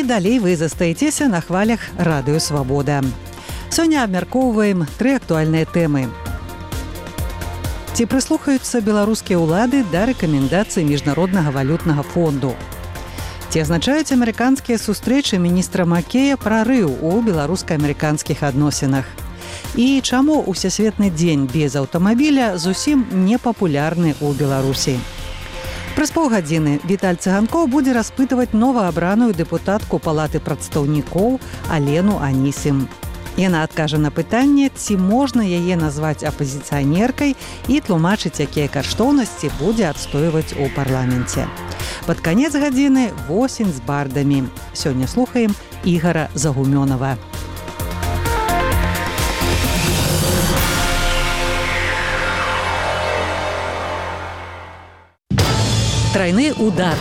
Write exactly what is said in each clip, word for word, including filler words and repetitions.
далей вы застаецеся на хвалях радыё Свабода. Сёння абмяркоўваем тры актуальныя тэмы. Ці прыслухаюцца беларускія ўлады да рэкамендацый Міжнароднага валютнага фонду? Ці азначаюць амерыканскія сустрэчы міністра Маккея прарыў у беларуска-амерыканскіх адносінах? І чаму ўсесветны дзень без аўтамабіля зусім не папулярны ў Беларусі? Праз паўгадзіны Віталь Цыганкоў будзе распытваць новаабраную дэпутатку Палаты прадстаўнікоў Алену Анісім. Яна адкажа на пытанне, ці можна яе назваць апазіцыянеркай і тлумачыць, якія каштоўнасці будзе адстойваць у парламенце. Пад канец гадзіны восень з бардамі. Сёння слухаем Ігара Загумёнова. Трайны удар.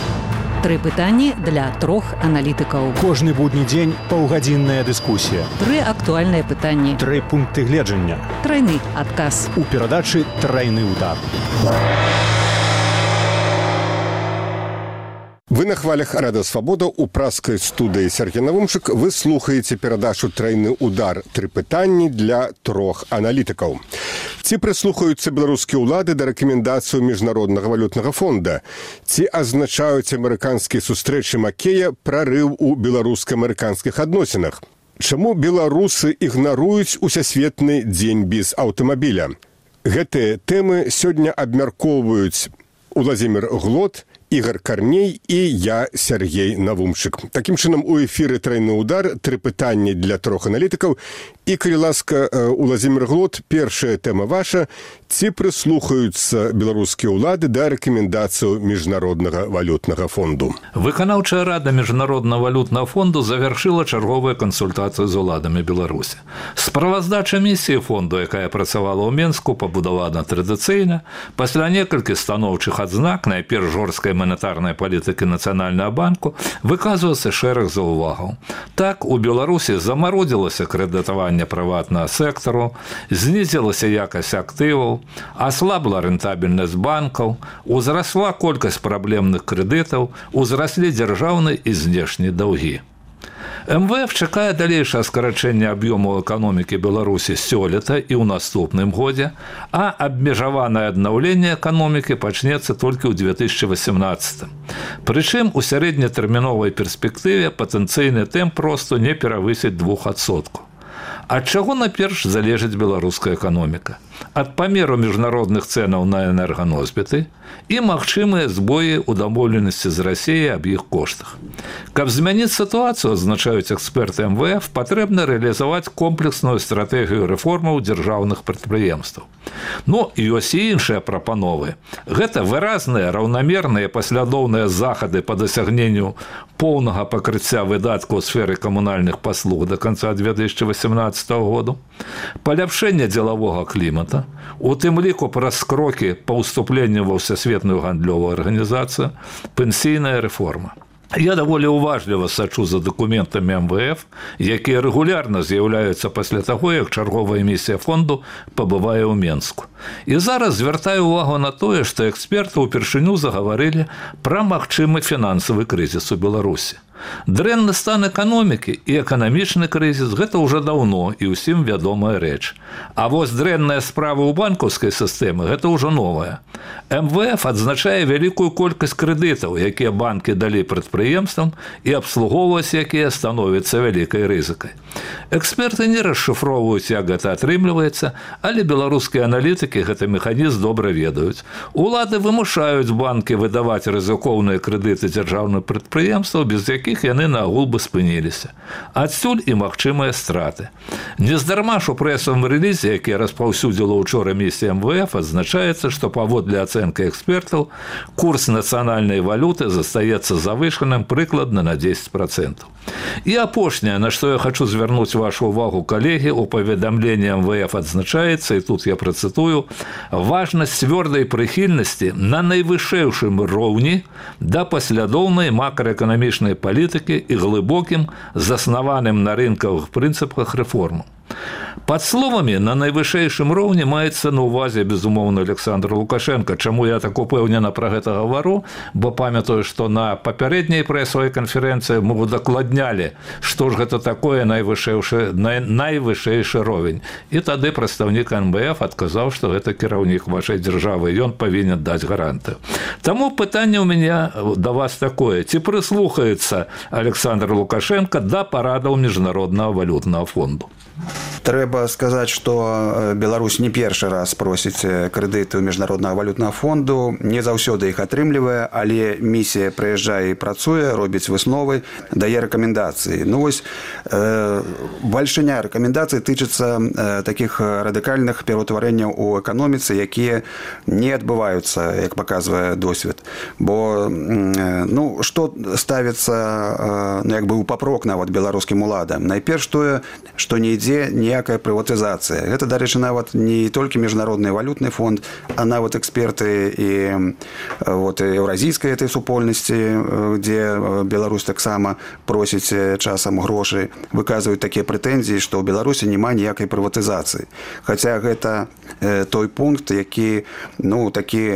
Тры пытанні для трох аналітыкаў. Кожны будні дзень паўгадзінная дыскусія. Тры актуальныя пытанні. Тры пункты гледжання. Трайны адказ. У перадачы «Трайны удар». Вы на хвалях Радыё Свабода у праскай студыі Сергей Навумчык. Вы слухаеце перадачу «Трайны удар». Тры пытанні для трох аналітыкаў. Ці прыслухаюцца беларускія ўлады да рэкамендацыю Міжнароднага валютнага фонда? Ці азначаюць амерыканскія сустрэчы Маккея прарыў у беларуска-амерыканскіх адносінах? Чаму беларусы ігнаруюць усесветны дзень без аўтамабіля? Гэтыя тэмы сёння абмяркоўваюць Уладзімір Глот, Ігар Карней і я, Сергей Навумчык. Такім чынам, у эфіры «Трайны удар», тры пытанні для трох аналітыкаў. І, калі ласка, Уладзімір Глот, першая тэма ваша. Ці прыслухаюцца беларускія ўлады да рэкамендацыю Міжнароднага валютнага фонду? Выканаўчая рада Міжнароднага валютнага фонду завяршыла чарговыя кансультацыі з уладамі Беларусі. Справаздача місіі фонду, якая працавала ў Менску, пабудавана традыцыйна. Пасля некалькіх станоўчых адзнак, найперш жорсткай манетарнай палітыкі Нацыянальнага банку, выказваецца шэраг заўвагаў. Так, у Беларусі замародзілася крэдытаванне прыватнага сектару, знізілася якасць актываў, аслабла рэнтабельнасць банкаў, узрасла колькасць праблемных крэдытаў, узраслі дзяржаўныя і знешнія даўгі. эм вэ эф чакае далейшае скарачэнне аб'ёму эканомікі Беларусі сёлета і ў наступным годзе, а абмежаванае аднаўленне эканомікі пачнецца толькі ў две тысячы васямнаццатым. Прычым у сярэднетэрміновай перспектыве патэнцыйны тэмп росту не перавысіць двух адсоткаў. Ад чаго наперш залежыць беларуская эканоміка? Ад памеру міжнародных цэнаў на энерганосьбіты і магчымыя збоі ў дамоўленасці з Расіяй аб іх коштах. Каб змяніць сітуацыю, адзначаюць эксперты эм вэ эф, патрэбна рэалізаваць комплексную стратэгію рэформаў дзяржаўных прадпрыемстваў. Ну, ёсць і іншыя прапановы. Гэта выразныя, раўнамерныя, паслядоўныя захады па дасягненню поўнага пакрыцця выдаткаў у сферы камунальных паслуг да канца две тысячы васямнаццатага году, паляпшэнне дзелавога клімата, у тым ліку праз крокі па ўступленню ва ўсесветную гандлёвую арганізацыю, пенсійная рэформа. Я даволі уважліва сачу за дакументамі эм вэ эф, якія рэгулярна з'яўляюцца пасля таго, як чарговая місія фонду пабывае ў Менску. І зараз звяртаю ўвагу на тое, што эксперты ўпершыню загаварылі пра магчымы фінансавы крызіс у Беларусі. Дрэнны стан эканомікі і эканамічны крызіс – гэта ўжо даўно і ўсім вядомая рэч. А вось дрэнная справа ў банкаўскай сістэмы – гэта ўжо новая. эм вэ эф адзначае вялікую колькасць крэдытаў, якія банкі далі прадпрыемствам і абслугоўваць якія становяцца вялікай рызыкай. Эксперты не расшыфроўваюць, як гэта атрымліваецца, але беларускія аналітыкі гэты механізм добра ведаюць. Улады вымушаюць банкі выдаваць рызыкоўныя крэдыты дзяржаўных прадпрыемстваў, без якіх яны наагул бы спыніліся. Адсюль і магчымыя страты. Нездарма ж у прэсавым рэлізе, які распаўсюдзіла ўчора місія эм вэ эф, адзначаецца, што паводле ацэнкі экспертаў курс нацыянальнай валюты застаецца завышаным прыкладна на дзесяць працэнтаў. І апошняе, на што я хочу звярнуць вашу ўвагу, калегі, у паведамленні эм вэ эф адзначаецца, і тут я працытую, важнасць цвёрдай прыхільнасці на найвышэйшым роўні да паслядоўнай макраэканамічнай палітыкі і глыбокім, заснаваным на рынкавых прынцыпах рэформаў. Под словамі на найвышэйшым роўні маецца на ўвазе, безумоўна, Александр Лукашенко. Чаму я так упэўнена пра гэта гавару? Бо памятаю, што на папярэдняй прэсавай канферэнцыі мы удакладнялі, што ж гэта такое найвышэйшы, най, найвышэйшы ровень. І тады прадстаўнік эн бэ эф адказаў, што гэта кіраўнік вашай дзяржавы, ён павінен даць гарантыю. Таму пытанне ў мяне да вас такое. Ці прыслухаецца Александр Лукашенко да парадаў Міжнароднага валютнага фонду? Трэба сказаць, што Беларусь не першы раз просіць крэдыты ў Міжнароднага валютнага фонду, не заўсёды іх атрымлівае, але місія прыязджае і працуе, робіць высновы, дае рэкамендацыі. Ну вось э, бальшыня рэкамендацый тычыцца э, такіх радыкальных пераўтварэнняў у эканоміцы, якія не адбываюцца, як паказвае досвед. Бо э, ну, што ставіцца э, ну, як бы ў папрок нават беларускім уладам? Найперш тое, што не ідзе ніякая прыватызацыя. Гэта, дарэчы, нават не толькі Міжнародны валютны фонд, а нават эксперты і вот, еўразійскай этой супольнасці, дзе Беларусь таксама просіць часам грошай, выказваюць такія прэтэнзіі, што ў Беларусі няма ніякай прыватызацыі. Хаця гэта той пункт, які ну, такі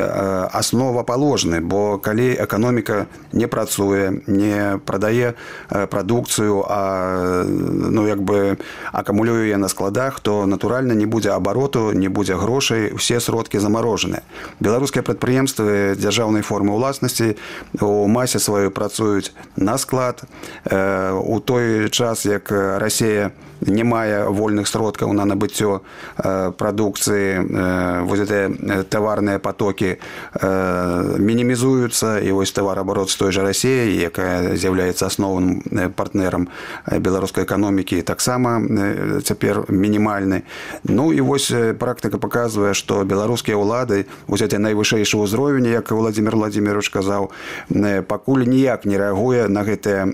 асновапаложны, бо калі эканоміка не працуе, не прадае прадукцыю, а ну, як бы акумулюе на складах, то натуральна не будзе абароту, не будзе грошай, усе сродкі замарожаныя. Беларускія прадпрыемствы дзяржаўнай формы ўласнасці у масе сваёй працуюць на склад. У той час, як Расія не мае вольных сродкаў на набыццё прадукцыі, вось гэтыя таварныя потокі мінімізуюцца, і вось тавараабарот з той жа Расіяй, якая з'яўляецца асноўным партнерам беларускай эканомікі, таксама цяпер мінімальны. Ну і вось практыка паказвае, што беларускія ўлады, вось гэты найвышэйшы ўзровень, як Владзімір Владзімірович казаў, пакуль ніяк не рэагуе на гэтыя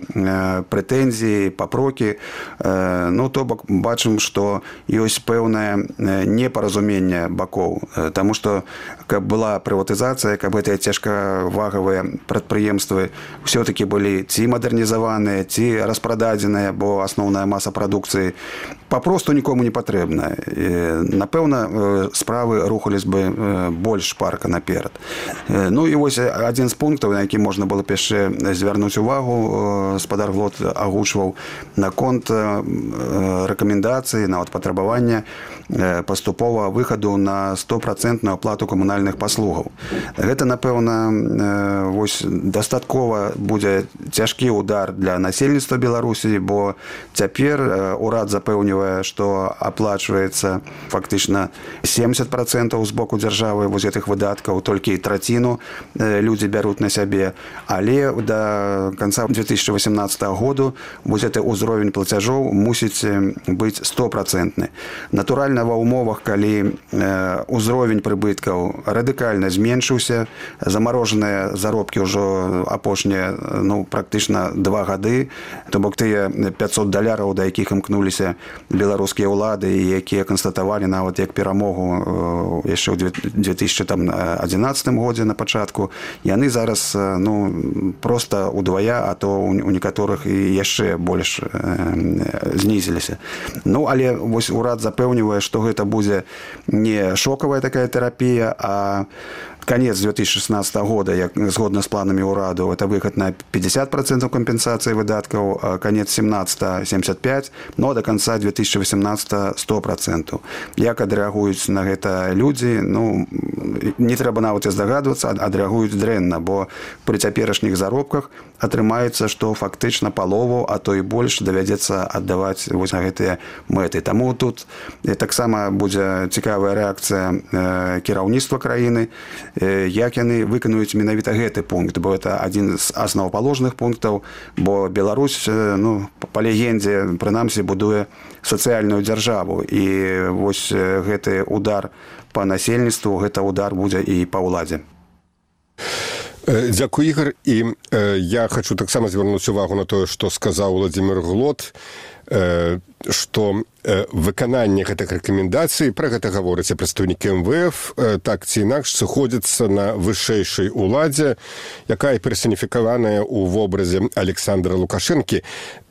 прэтэнзіі, папрокі. Ну, то бок бачым, што ёсць пэўнае непаразуменне бакоў. Таму што, каб была прыватызацыя, каб гэтыя цяжкавагавыя прадпрыемствы ўсё-такі былі ці мадэрнізаваныя, ці распрададзеныя, бо асноўная маса прадукцыі папросту нікому не патрэбна. Напэўна, справы рухались бы больш шпарка наперад. Ну і вось адзін з пунктаў, на які можна было б яшчэ звярнуць увагу, спадар Глот агучваў наконт рэкамендацыі, нават патрабавання паступова выхаду на стопроцентную аплату камунальных паслугаў. Гэта, напэўна, вось дастаткова будзе цяжкі удар для насельніцтва Беларусі, бо цяпер урад запэўнівае, што аплачваецца фактычна семьдесят процентов з боку дзяржавы вось гэтых выдаткаў, толькі траціну людзі бяруць на сябе. Але да канца две тысячи восемнадцатого году вось гэты ўзровень плацяжоў мусіць быць стопроцентны. Натуральна, ва ўмовах, калі ўзровень прыбыткаў радыкальна зменшыўся, замарожаныя заробкі ўжо апошнія ну, практычна два гады, то бок тыя пятьсот даляраў, да якіх імкнуліся беларускія ўлады, якія канстатавалі нават як перамогу яшчэ ў две тысячи адзінаццатым годзе на пачатку, яны зараз ну, проста удвая, а то у некаторых і яшчэ больш знізіліся. Ну, але вось урад запэўнівае, што гэта будзе не шокавая такая терапія, а конец две тысячи шестнадцатого года, як згодна з планамі ўраду, это выход на пятьдесят процентов компенсации выдаткаў, а конец семнадцатого семьдесят пять, но до конца две тысячи восемнадцатого сто процентов. Як адрэагуюць на гэта людзі, ну, не трэба нават і здагадвацца, адрэагуюць дрэнна, бо пры цяперашніх заробках атрымаецца, што фактычна палову, а то і больш давядзецца аддаваць вось на гэтыя мэты. Таму тут таксама будзе цікавая рэакцыя кіраўніцтва краіны, як яны выканаюць менавіта гэты пункт, бо это адзін з асновапаложных пунктаў, бо Беларусь, ну, па легендзе, прынамсі, будуе сацыяльную дзяржаву, і вось гэты удар па насельніцтву, гэта удар будзе і па ўладзе. Дзякуй, Ігор. І я хочу таксама звярнуць увагу на тое, што сказаў Владзімір Глот. што выкананне гэтых рэкамендацый, пра гэта гаворыць прадстаўнікі эм вэ эф, так ці інакш сыходзіцца на вышэйшай уладзе, якая персаніфікаваная ў вобразе Александра Лукашэнкі.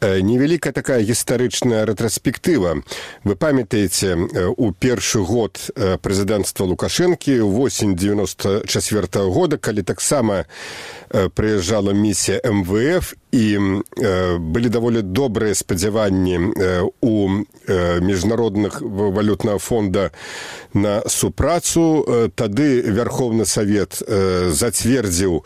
Невялікая такая гістарычная рэтраспектыва. Вы памятаеце, у першы год прэзідэнцтва Лукашэнкі, восень девяносто четвёртого года, калі таксама прыязджала місія эм вэ эф, і былі даволі добрыя спадзяванні у міжнародных валютнага фонда на супрацу. Тады Верховны Савет зацвердзіў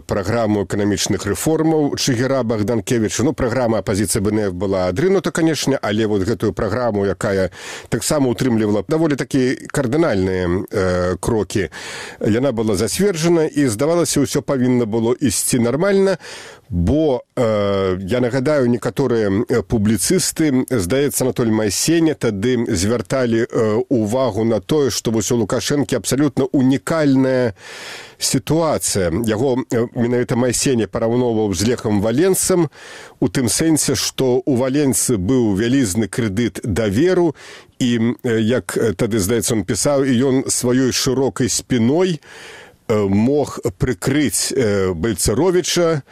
праграму эканамічных рэформаў Чыгіра Богданкевича. Ну, праграма апазіцыі бэ эн эф была адрынута, канешне, але вот гэтую праграму, якая таксама утрымлівала даволі такія кардынальныя э, крокі, яна была зацверджана, і здавалася, ўсё павінна было ісці нармальна, бо, э, я нагадаю, некаторыя публіцысты, здаецца, Анатоль Майсеня тады звярталі э, увагу на тое, што вось у Лукашэнкі абсалютна унікальная сітуацыя. Яго менавіта Майсеня параўноўваў з Лехам Валенцам, у тым сэнсе, што у Валенцы быў вялізны крэдыт даверу, і, як тады, здаецца, он пісаў, і ён сваёй шырокай спіной мог прыкрыць Бальцаровіча,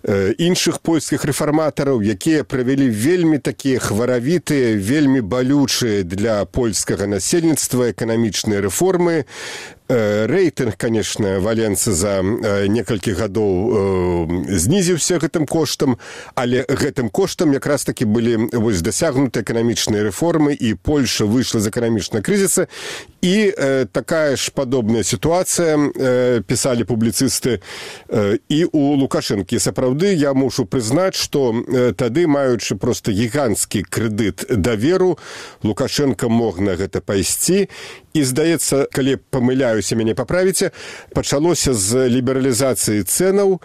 іншых польскіх рэфарматараў, якія правялі вельмі такія хваравітыя, вельмі балючыя для польскага насельніцтва эканамічныя рэформы. Рэйтынг, конечно, Валенцы за некалькі гадоў знізіўся гэтым коштам, але гэтым коштам якраз таки былі вось дасягнуты эканамічныя рэформы, і Польша выйшла з эканамічнага крызіса. І э, такая ж падобная сітуацыя, э, пісалі публіцысты, э, і у Лукашэнкі. Сапраўды, я мушу прызнаць, што э, тады, маючы проста гіганцкі крэдыт даверу, Лукашенко мог на гэта пайсці. І, здаецца, калі памыляюся, мяне паправіце, пачалося з лібералізацыі цэнаў,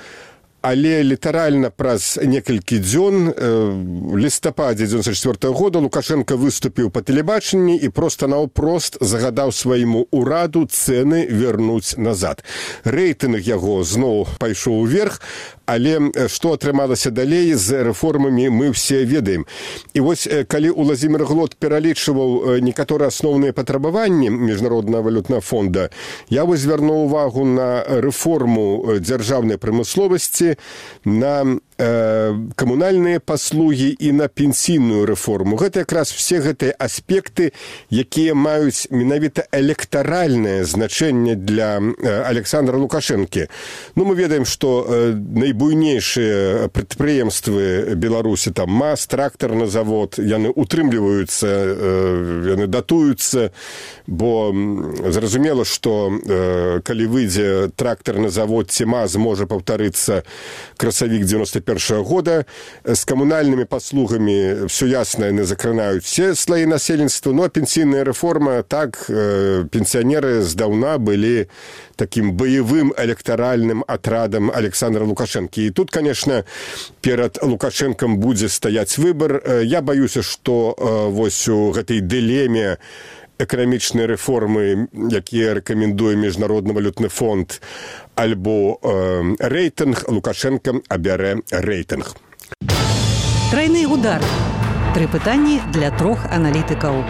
але літаральна праз некалькі дзён, в лістападзе девяносто четвёртого года, Лукашенко выступіў па тэлебачанні і проста наўпрост загадаў свайму ўраду цэны вярнуць назад. Рэйтынг яго зноў пайшоў уверх, але што атрымалася далей з рэформамі, мы ўсе ведаем. І вось, калі Уладзімір Глот пералічваў некаторыя асноўныя патрабаванні Міжнароднага валютнага фонда, я вось звярнуў увагу на рэформу дзяржаўнай прамысловасці, на э, камунальныя паслугі і на пенсійную рэформу. Гэта якраз все гэтыя аспекты, якія маюць менавіта электаральнае значэнне для э, Александра Лукашэнкі. Ну, мы ведаем, што э, найбуйнейшыя прадпрыемствы Беларусі, там МАЗ, трактарны завод, яны утрымліваюцца, э, яны датуюцца, бо зразумела, што э, калі выйдзе трактарны завод ці МАЗ, можа паўтарыцца красавік девяносто первого года. С камунальными паслугами все ясно, яны закранаюць все слои насельніцтва. Ну, а пенсійная рэформа, так, э, пенсіянеры здаўна былі таким баявым электаральным атрадам Александра Лукашэнкі. І тут, конечно, перад Лукашэнкам будзе стаяць выбор. Я баюся, што э, вось у гэтай дылеме эканамічныя рэформы, якія рэкамендуе Міжнародны валютны фонд, альбо э, рэйтынг, Лукашенко абярэ рэйтынг. Трайны удар. Тры пытанні для трох аналітыкаў.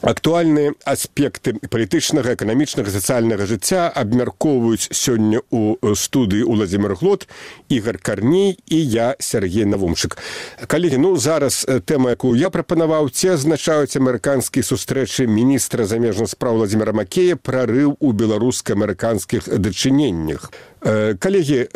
Актуальныя аспекты палітычнага, эканамічнага, сацыяльнага жыцця абмяркоўваюць сёння ў студыі Уладзімір Глот, Ігор Карней і я, Сергей Навумчык. Калегі, ну зараз тэма, якую я прапанаваў, ці азначаюць амерыканскія сустрэчы міністра замежных спраў Владзіміра Макея прарыў у беларуска-амерыканскіх дачыненнях. Калегі,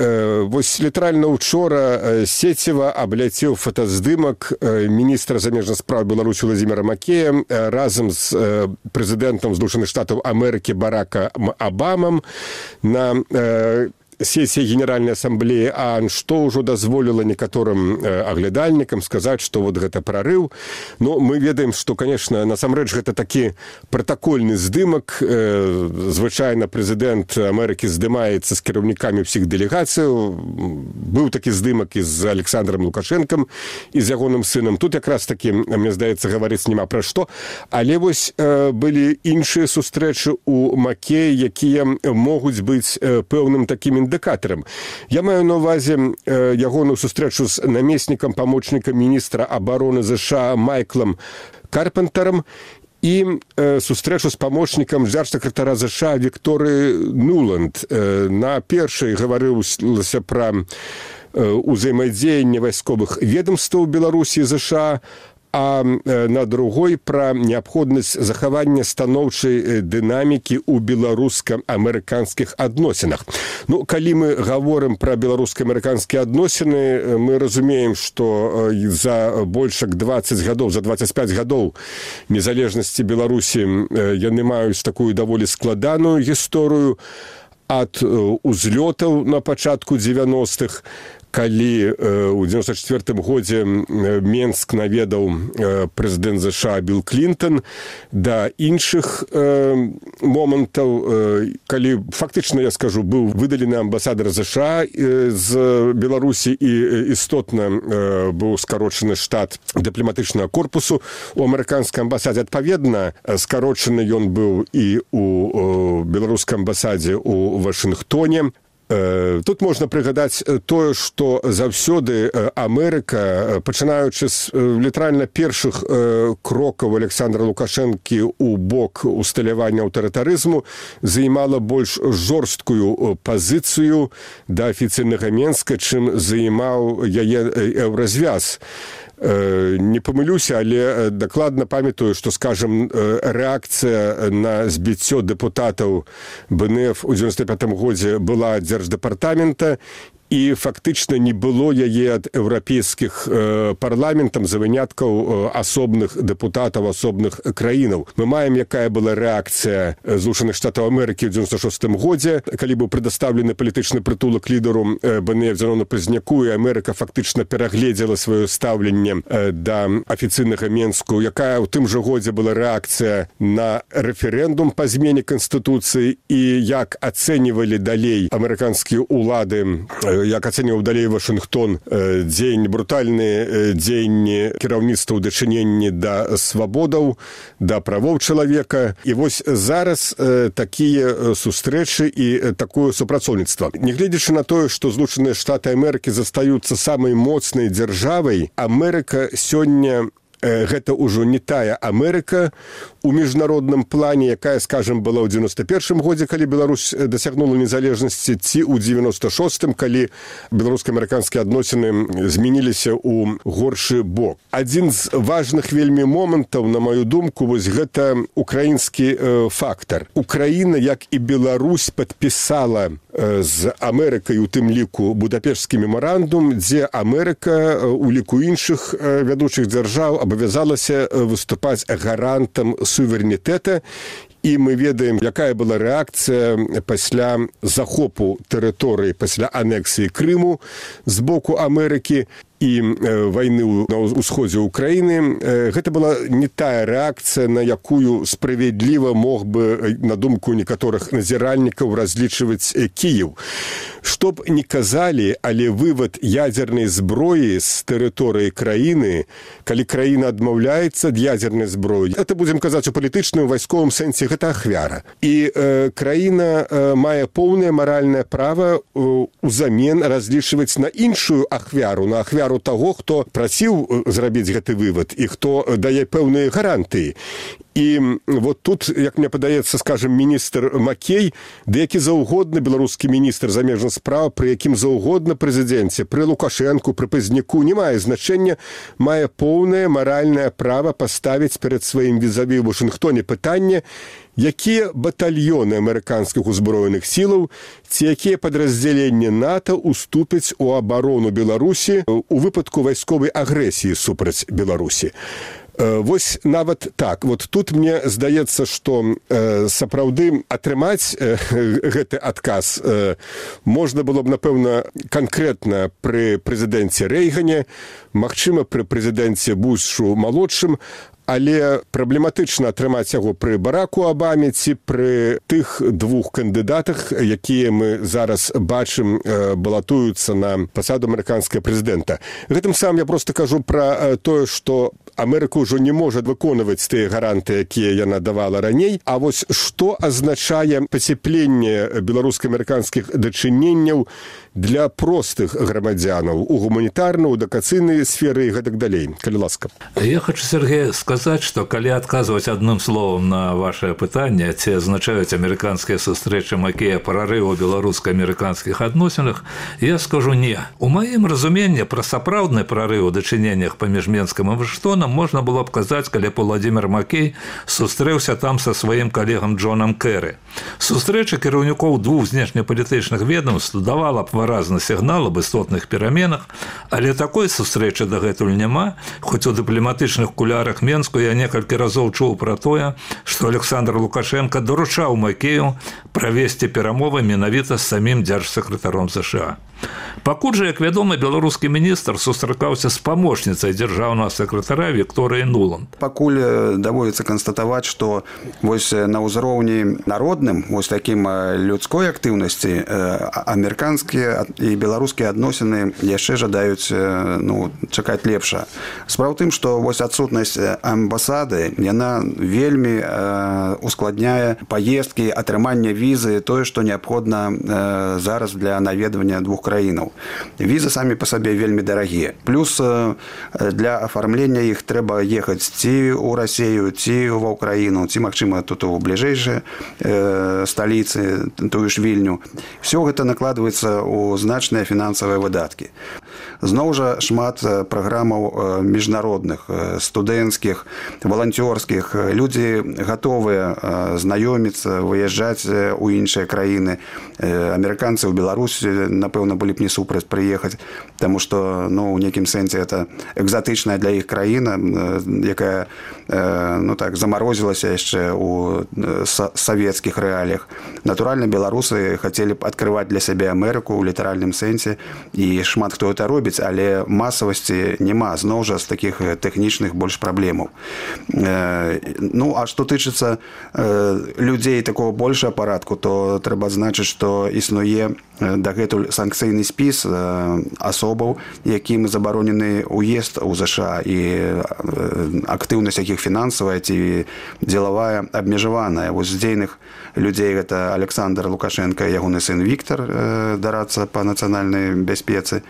вось літаральна учора Сеціва абляцеў фотаздымак міністра замежных спраў Беларусі Владзіміра Макея разам з прэзідэнтам Злучаных Штатаў Амерыкі Баракам Абамам на сессия Генеральной Ассамблеи ААН, што ўжо дазволіла некаторым аглядальнікам сказаць, што вот гэта прарыў. Но мы ведаем, што, конечно, насамрэч гэта такі пратакольны здымак. Звычайна прэзідэнт Амерыкі здымаецца з кіраўнікамі ўсіх дэлегацыяў. Быў такі здымак і з Александром Лукашэнкам, і з ягоным сынам. Тут якраз такі, мне здаецца, гаварыць няма пра што. Але вось былі іншыя сустрэчы у Макея, якія могуць быць пэўным такім віндыкатарам. Я маю на ўвазе ягоную сустрэчу з намеснікам памочнікам міністра абароны ЗША Майклам Карпентарам і э, сустрэчу з памочнікам дзяржсакратара ЗША Вікторыі Нуланд. Э, на першай гаварылася пра э, ўзаемадзеянне вайсковых ведомстваў Беларусі і ЗША, а на другой пра неабходнасць захавання станоўчай дынамікі ў беларуска-амерыканскіх адносінах. Ну, калі мы гаворым пра беларуска-амерыканскія адносіны, мы разумеем, што за больш як дваццаць гадоў, за дваццаць пяць гадоў незалежнасці Беларусі яны маюць такую даволі складаную гісторыю ад узлётаў на пачатку дзевяностых, калі ў дзевяносто чвёртым годзе Менск наведаў прэзідэнт ЗША Білл Клінтон, да іншых момантаў, калі фактычна, я скажу, быў выдалены амбасадар ЗША з Беларусі і істотна быў скарочаны штат дыпламатычнага корпусу у амерыканскай амбасадзе. Адпаведна, скарочаны ён быў і у беларускай амбасадзе ў Вашынгтоне. Тут можна прыгадаць тое, што заўсёды Амерыка, пачынаючы з літаральна першых крокаў Александра Лукашэнкі ў бок усталявання аўтарытарызму, займала больш жорсткую пазіцыю да афіцыйнага Менска, чым займаў яе еўразвяз. Не памылюся, але дакладна памятаю, што, скажам, рэакцыя на збіццё дэпутатаў БНФ у дзевяносто пятым годзе была ад дзярждэпартамента, і фактычна не было яе ад еўрапейскіх парламентам за выняткаў асобных дэпутатаў асобных краінаў. Мы маем, якая была рэакцыя Злучаных Штатаў Амерыкі ў дзевяносто шостым годзе, калі быў прадастаўлены палітычны прытулак лідару БНФ Зерону Пазнняку, і Амерыка фактычна перагледзела сваё стаўленне да афіцыйнага Менску, якая ў тым жа годзе была рэакцыя на рэферэндум па змене Канстытуцыі і як ацэньвалі далей амерыканскія ўлады, як ацэньваў далей Вашынгтон дзеянні, брутальныя дзеянні кіраўніцтва ў дачыненні да свабодаў, да правоў чалавека. І вось зараз такія сустрэчы і такое супрацоўніцтва. Нягледзячы на тое, што Злучаныя Штаты Амерыкі застаюцца самай моцнай дзяржавай, Амерыка сёння гэта ўжо не тая Амерыка у міжнародным плане, якая, скажем, была ў дзевяносто першым годзе, калі Беларусь дасягнула незалежнасці, ці ў дзевяносто шостым, калі беларуска-амерыканскія адносіны змяніліся ў горшы бок. Адзін з важных вельмі момантаў, на маю думку, вось гэта украінскі фактар. Украіна, як і Беларусь, падпісала з Амерыкай, у тым ліку, Будапешtsкі мемарандум, дзе Амерыка у ліку іншых вядучых дзяржаў абавязалася выступаць гарантам суверэнітэта. І мы ведаем, якая была рэакцыя пасля захопу тэрыторыі, пасля анексіі Крыму з боку Амерыкі і вайны на ўсходзе ўкраіны. Гэта была не тая рэакцыя, на якую справядліва мог бы, на думку некаторых назіральнікаў, разлічваць Кіеў. Што б не казалі, але вывад ядзернай зброі з тэрыторыі краіны, калі краіна адмаўляецца ад ядзернай зброі, это будзем казаць у палітычным, вайсковым сэнсе, гэта ахвяра. І э, краіна э, мае поўнае маральнае права э, узамен разлічваць на іншую ахвяру, на ахвяру таго, хто прасіў зрабіць гэты вывад і хто дае пэўныя гарантыі. І вот тут, як мне падаецца, скажем, міністр Макей, да які заўгодны беларускі міністр замежных спраў, пры якім заўгодна прэзідэнце, пры Лукашэнку, пры Пазняку, не мае значэння, мае поўнае маральнае права паставіць перад сваім візаві ў Вашынгтоне пытанне, якія батальёны амерыканскіх узброеных сілаў ці якія падраздзяленні НАТО уступяць у абарону Беларусі у выпадку вайсковай агрэсіі супраць Беларусі. Вось нават так. Вот тут мне здаецца, што э, сапраўды атрымаць э, гэты адказ э, можна было б, напэўна, канкрэтна пры прэзідэнце Рэйгане, магчыма, пры прэзідэнце Бушу малодшым, але праблематычна атрымаць яго пры Бараку Абаме ці пры тых двух кандыдатах, якія мы зараз бачым балатуюцца на пасаду амерыканскага прэзідэнта. Гэтым самым я просто кажу пра тое, што Амерыка ўжо не можа выконваць тыя гаранты, якія яна давала раней. А вось што азначае пацяпленне беларуска-амерыканскіх дачыненняў для простых грамадзянаў у гуманітарнай, у адукацыйнай сферы і гэтак далей? Калі ласка. Я хочу, Сергей, сказаць, што калі адказваць адным словам на вашае пытанне, ці азначаюць амерыканскія сустрэчы Макея прарыў у беларуска-амерыканскіх адносінах, я скажу не. У маім разуменні пра сапраўдны прарыў у дачыненнях паміж Менскам і Вашынгтонам можна было б казаць, калі б Уладзімір Макей сустрэўся там са сваім калегам Джонам Кэры. Сустрэча кіраўнікоў двух знешнепалітычных ведомств давала б выразны сігнал аб істотных пераменах, але такой сустрэчы дагэтуль няма, хоць у дыпламатычных кулярах Менску я некалькі разоў чуў пра тое, што Александр Лукашенко даручаў Макею правесці перамовы менавіта з самім дзяржсакратаром США. Пакуль жа, як вядома, беларускі міністр сустракаўся з памочніцай дзяржаўнага сакратара Вікторыяй Нуланд. Пакуль даводзіцца канстатаваць, што вось на ўзроўні народным, вось такім людской актыўнасці, амерыканскія і беларускія адносіны яшчэ жадаюць ну, чакаць лепша. Справа ў тым, што вось адсутнасць амбасады, яна вельмі ускладняе паездкі, атрыманне візы, тое, што неабходна зараз для наведвання двух краінаў. Візы самі па сабе вельмі дарагія. Плюс для афармлення іх трэба ехаць ці ў Расію, ці ва ўкраіну, ці, магчыма, тут у бліжэйшай сталіцы, тую ж Вільню. Все гэта накладваецца ў значныя фінансавыя выдаткі. Зноў жа шмат праграмаў міжнародных, студэнцкіх, валанцёрскіх. Людзі гатовыя знаёміцца, выязджаць у іншыя краіны. Амерыканцы ў Беларусі, напэўна, былі б не супраць прыехаць, таму што ну, ў нейкім сэнсе это экзатычная для іх краіна, якая ну, так, замарозілася яшчэ ў савецкіх рэаліях. Натуральна, беларусы хацелі б адкрываць для сябе Амерыку ў літаральным сэнсе, і шмат хто это робіць, але масавасці няма, зноў жа з такіх тэхнічных больш праблемаў. Ну, а што тычыцца людзей такого большага парадку, то трэба адзначыць, што існуе дагэтуль санкцыйны спіс асобаў, якім забаронены ўезд у ЗША, і актыўнасць якіх фінансавая ці дзелавая абмежаваная. Вось з дзейных людзей гэта Александр Лукашенко, ягоны сын Віктор, дарацца па нацыянальнай бяспецы.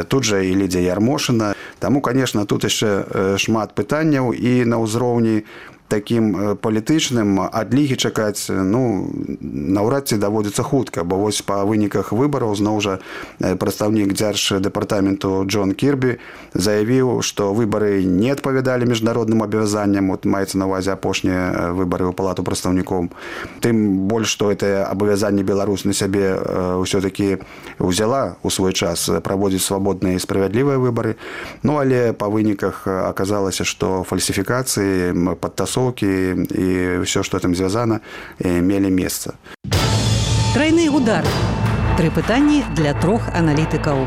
Тут жа і Лідзія Ярмошына. Таму, конечно, тут яшчэ шмат пытанняў, і на ўзроўні такім палітычным адлігі чакаць ну, наўрад ці даводзіцца хутка, бо вось па выніках выбараў зноў жа прадстаўнік дзярждэпартаменту Джон Кірбі заявіў, што выбары не адпавядалі міжнародным абавязанням, от маецца на ўвазе апошнія выбары ў палату прадстаўнікоў. Тым больш, што гэтае абавязанне Беларусь на сябе ўсё-такі ўзяла ў свой час праводзіць свабодныя і справядлівыя выбары, ну але па выніках аказалася, што фальсіфікацыі, падтасоўкі и все, что там звязано, имели место. Тройны удар. Тры пытанні для трох аналітыкаў.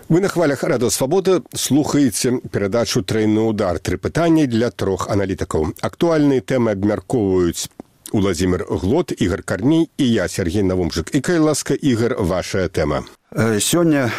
Вы на хвалях Радыё Свабода слухаеце перадачу «Тройны удар». Тры пытанні для трох аналітыкаў. Актуальныя тэмы абмяркоўваюць Уладзімір Глот, Ігор Карней і я, Сергей Навумчык. І, калі ласка, Ігор, вашая тэма. Сёння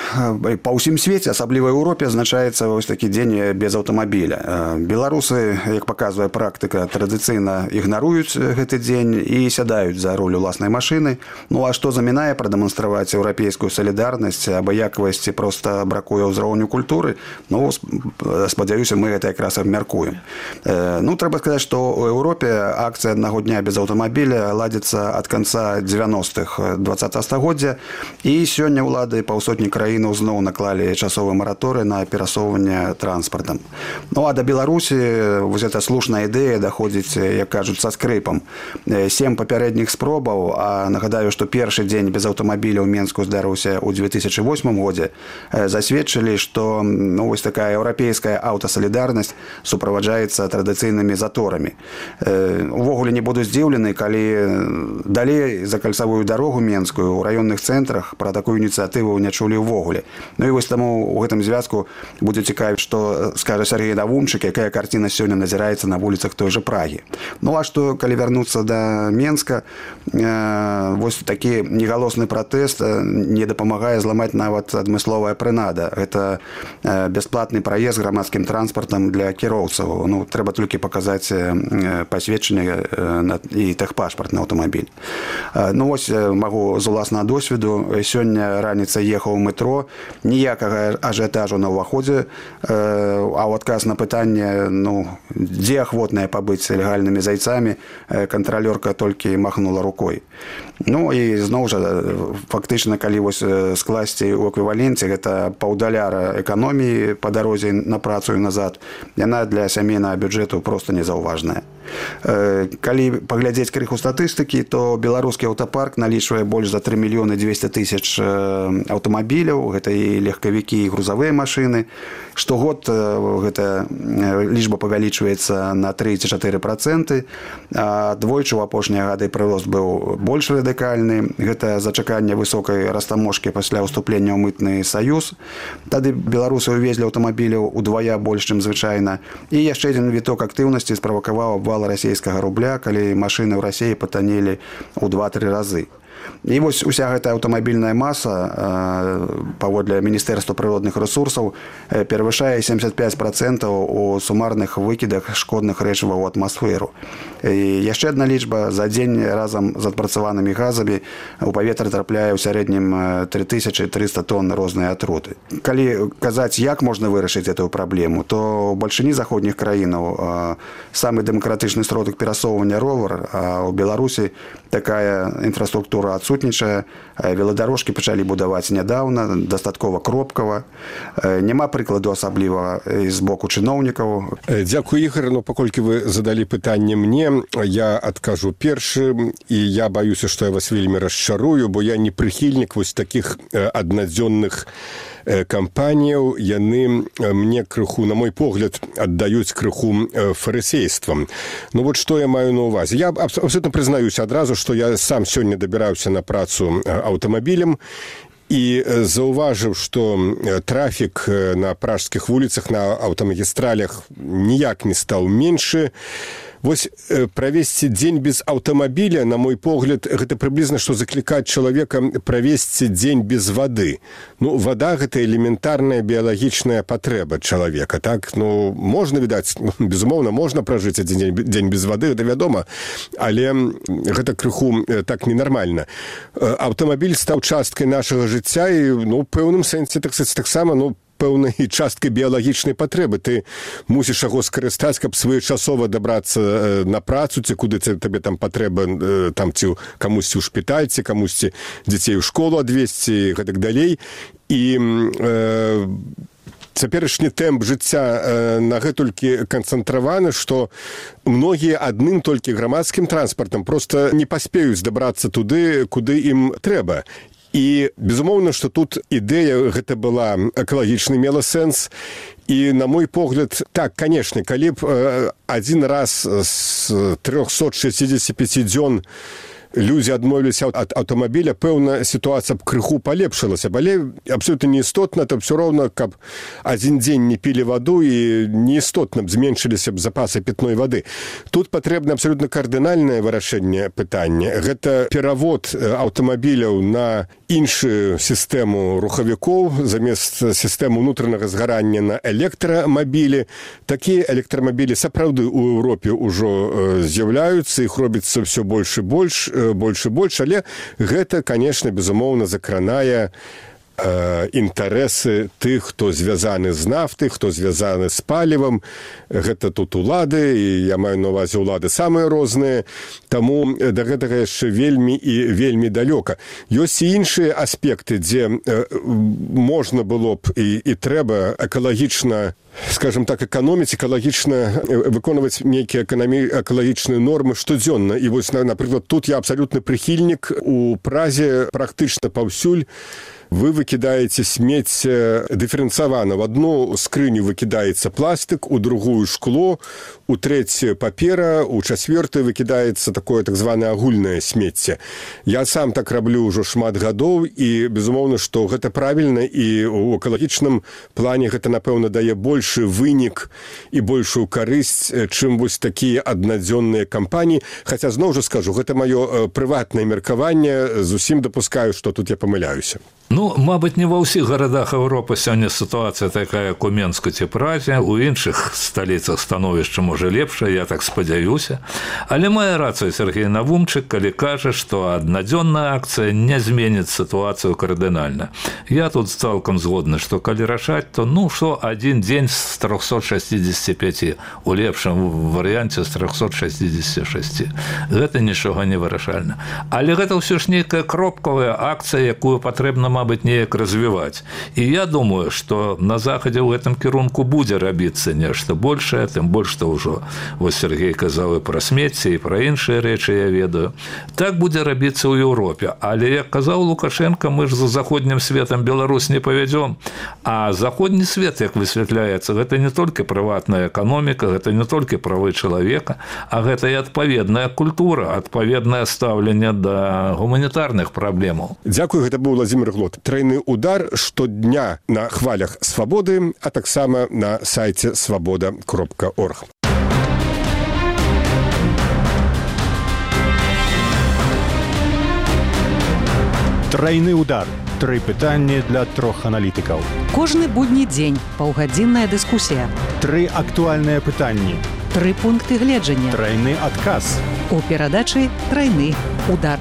па ўсім свеце, асабліва ў Еўропе, адзначаецца вось такі дзень без аўтамабіля. Беларусы, як паказвае практыка, традыцыйна ігнаруюць гэты дзень і сядаюць за руль уласнай машыны. Ну а што замінае прадэманстраваць еўрапейскую салідарнасць, абыякавасці проста бракуе ўзроўню культуры? Ну, спадзяюся, мы гэта якраз абмяркуем. Ну, трэба сказаць, што ў Еўропе акцыя аднаго дня без аўтамабіля ладзіцца ад канца дзевяностых дваццатага стагоддзя, і сёння ўлады паўсотні краінаў зноў наклалі часовы мараторый на перасоўванне транспартам. Ну а да Беларусі вось эта слушная ідэя даходзіць, як кажуць, са скрыпам. Сем папярэдніх спробаў, а нагадаю, што першы дзень без аўтамабіля ў Менску здарыўся ў дзве тысячы восьмым годзе, засведчылі, што ну, вось такая еўрапейская аўтасалідарнасць суправаджаецца традыцыйнымі заторамі. Увогуле не буду здзіўлены, калі далей за кальцавую дарогу менскую ў раённых цэнтрах пра такую ініцыятыву пазітыву не чулі ўвогуле. Ну і вось таму у гэтым звязку будзе цікавіць, што скажа Сергей Навумчык, якая карціна сёння назіраецца на вуліцах той жа Прагі. Ну а што, калі вярнуцца да Менска, э, вось такі негалосны пратэст не дапамагае зламаць нават адмысловая прынада. Гэта э, бясплатны праезд грамадскім транспартам для кіроўцаў. Ну, трэба толькі паказаць э, пасведчанне э, і тэхпашпарт на аўтамабіль. Э, ну вось магу з уласнага досведу. Сёння раніца ехаў у метро, ніякага ажыятажу на ўваходзе, э, а ў адказ на пытанне, ну, дзе ахвотныя пабыць легальнымі зайцамі, э, кантралёрка толькі махнула рукой. Ну і зноў жа, фактычна, калі вось скласці ў эквіваленце, гэта паўдаляра эканоміі па дарозе на працу і назад, яна для сямейнага бюджэту проста незаўважная. Калі паглядзець крыху статыстыкі, то беларускі аўтапарк налічвае больш за тры мільёны дзвесце тысяч аўтамабіляў, гэта і легкавікі, і грузавыя машыны. Штогод гэта лічба павялічваецца на тры ці чатыры працэнты, а двойчы ў апошнія гады прырост быў больш радыкальны. Гэта зачаканне высокай растаможкі пасля ўступлення ў мытны саюз. Тады беларусы ўвезлі аўтамабіляў удвая больш, чым звычайна. І яшчэ адзін віток актыўнасці справакаваў абвал расійскага рубля, калі машыны ў Расіі патанелі ў два-тры разы. І вось уся гэтая аўтамабільная маса, паводле Міністэрства прыродных рэсурсаў, перавышае сямдзесят пяць працэнтаў у сумарных выкідах шкодных рэчываў у атмасферу. І яшчэ адна лічба: за дзень разам з адпрацаванымі газамі у паветра трапляе ў сярэднім тры тысячы трыста тонн рознай атруты. Калі казаць, як можна вырашыць эту праблему, то ў бальшыні заходніх краінаў самы дэмакратычны сродак перасоўвання ровар, а ў Беларусі такая інфраструктура адсутнічае. Веладарожкі пачалі будаваць нядаўна, дастаткова кропкава. Няма прыкладу асабліва з боку чыноўнікаў. Дзякую, Ігор. Ну, паколькі вы задалі пытанне мне, я адкажу першы, і я баюся, што я вас вельмі расчарую, бо я не прыхільнік вось такіх аднадзённых кампаніяў. Яны мне крыху, на мой погляд, аддаюць крыху фарысействам. Ну вот што я маю на ўвазе. Я абсолютно прызнаюся адразу, што я сам сёння дабіраўся на працу аўтамабілем і заўважыў, што трафік на пражскіх вуліцах, на аўтамагістралях ніяк не стаў меншы. Вось правесці дзень без аўтамабіля, на мой погляд, гэта прыблізна, што заклікаць чалавека правесці дзень без вады. Ну, вада – гэта элементарная біялагічная патрэба чалавека, так? Ну, можна, відаць, безумоўна, можна пражыць адзін дзень без вады, гэта вядома, але гэта крыху так ненармальна. Аўтамабіль стаў часткай нашага жыцця і, ну, ў пэўным сэнсе, так сказаць, таксама, ну, пэўнай часткай біялагічнай патрэбы. Ты мусіш яго скарыстаць, каб своечасова дабрацца на працу, ці куды табе там патрэба, там ці камусьці ў шпіталь, ці камусьці дзяцей у школу адвезці і гэтак далей. І э, цяперашні тэмп жыцця на гэтулькі канцэнтраваны, што многія адным толькі грамадскім транспартам проста не паспеюць дабрацца туды, куды ім трэба. І, безумоўна, што тут ідэя гэта была экалагічна, мела сэнс. І, на мой погляд, так, канешне, калі б адзін раз з трохсот шэсцідзесяці пяці дзён людзі адмовіліся ад аўтамабіля, пэўна, сітуацыя б крыху палепшылася. Але абсолютна неістотна, то ўсё роўна, каб адзін дзень не пілі ваду і неістотна б зменшыліся б запасы пітной вады. Тут патрэбна абсолютна кардынальнае вырашэнне пытання. Гэта перавод аўтамабіляў на іншую сістэму рухавікоў, замест сістэмы ўнутранага згарання на электрамабілі. Такія электрамабілі сапраўды ў Еўропе ўжо з'яўляюцца, іх робіцца ўсё больш і больш, больш і больш, але гэта, конечно, безумоўна, закранае э, інтарэсы тых, хто звязаны з нафтай, хто звязаны з палівам. Гэта тут улады, і я маю на ўвазе улады самыя розныя, таму да гэтага яшчэ вельмі і вельмі далёка. Ёсць і іншыя аспекты, дзе э, можна было б і, і трэба экалагічна, скажем так, эканоміць, экалагічна выконваць нейкія экалагічныя нормы штодзённа. І вось, напрыклад, тут я абсалютны прыхільнік. У Празе практычна паўсюль вы выкідаеце смецце дыферэнцавана. В одну скрыню выкідаецца пластык, у другую шкло, у трэцюю папера, у чацвёртую выкідаецца такое так званае агульнае смецце. Я сам так раблю ўжо шмат гадоў, і, безумоўна, што гэта правільна, і ў экалагічным плане гэта, напэўна, дае большы вынік і большую карысць, чым вось такія аднадзённыя кампаніі. Хаця, зноў жа скажу, гэта маё прыватнае меркаванне, зусім дапускаю, што тут я памыляюся. Ну, мабыць, не ва ўсіх гарадах Еўропы сёння сітуацыя такая, як у Менску ці Празе, у іншых сталіцах становішча можа лепшае, я так спадзяюся. Але мае рацыю Сергей Навумчык, калі кажа, што аднадзённая акцыя не зменіць сітуацыю кардынальна. Я тут цалкам згодны, што калі рашаць, то ну што адзін дзень з трохсот шэсцідзесяці пяці, у лепшым варыянце з трохсот шэсцідзесяці шэсці. Гэта нічога не вырашальна. Але гэта ўсё ж нейкая кропкавая акцыя, якую патрэбна, мабыць, неяк развіваць. І я думаю, што на захадзе ў гэтым кірунку будзе рабіцца нешта большае, тым больш, што ўжо вось Сергей казаў і пра смецце, і пра іншыя рэчы я ведаю. Так будзе рабіцца ў Еўропе. Але, як казаў Лукашенко, мы ж за заходнім светам Беларусь не павядзём. А заходні свет, як высвятляецца, гэта не толькі прыватная эканоміка, гэта не толькі правы чалавека, а гэта і адпаведная культура, адпаведнае стаўленне да гуманітарных праблемаў. Дзякую, гэта быў Владзімир Глот. Тройны удар штодня на хвалях свабоды, а таксама на сайце свабода кропка орг. Тройны удар. Тры пытанні для трох аналітыкаў. Кожны будні дзень паўгадзінная дыскусія. Тры актуальныя пытанні. Тры пункты гледжання. Тройны адказ. У перадачы «Тройны удар».